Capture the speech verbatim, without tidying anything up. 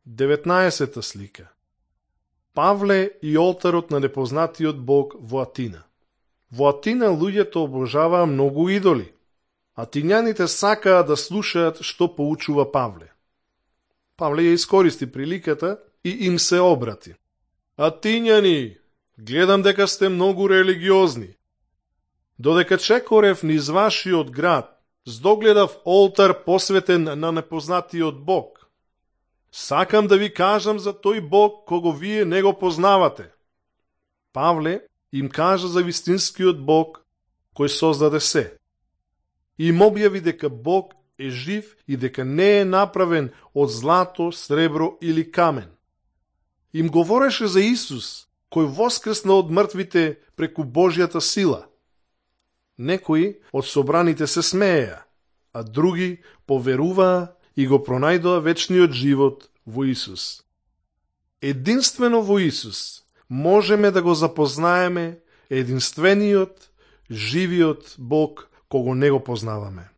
деветнаесета слика. Павле и олтарот на непознатиот Бог во Атина. Во Атина луѓето обожаваа многу идоли. Атињаните сакаа да слушаат што поучува Павле. Павле ја искористи приликата и им се обрати. Атињани, гледам дека сте многу религиозни. Додека чекорев низ вашиот град, здогледав олтар посветен на непознатиот Бог. Сакам да ви кажам за тој Бог кого вие не го познавате. Павле им кажа за вистинскиот Бог кој создаде се. Им објави дека Бог е жив и дека не е направен од злато, сребро или камен. Им говореше за Исус, кој воскресна од мртвите преку Божјата сила. Некои од собраните се смееа, а други поверуваа и го пронајдоа вечниот живот во Исус. Единствено во Исус можеме да го запознаеме единствениот, живиот Бог кого не го познаваме.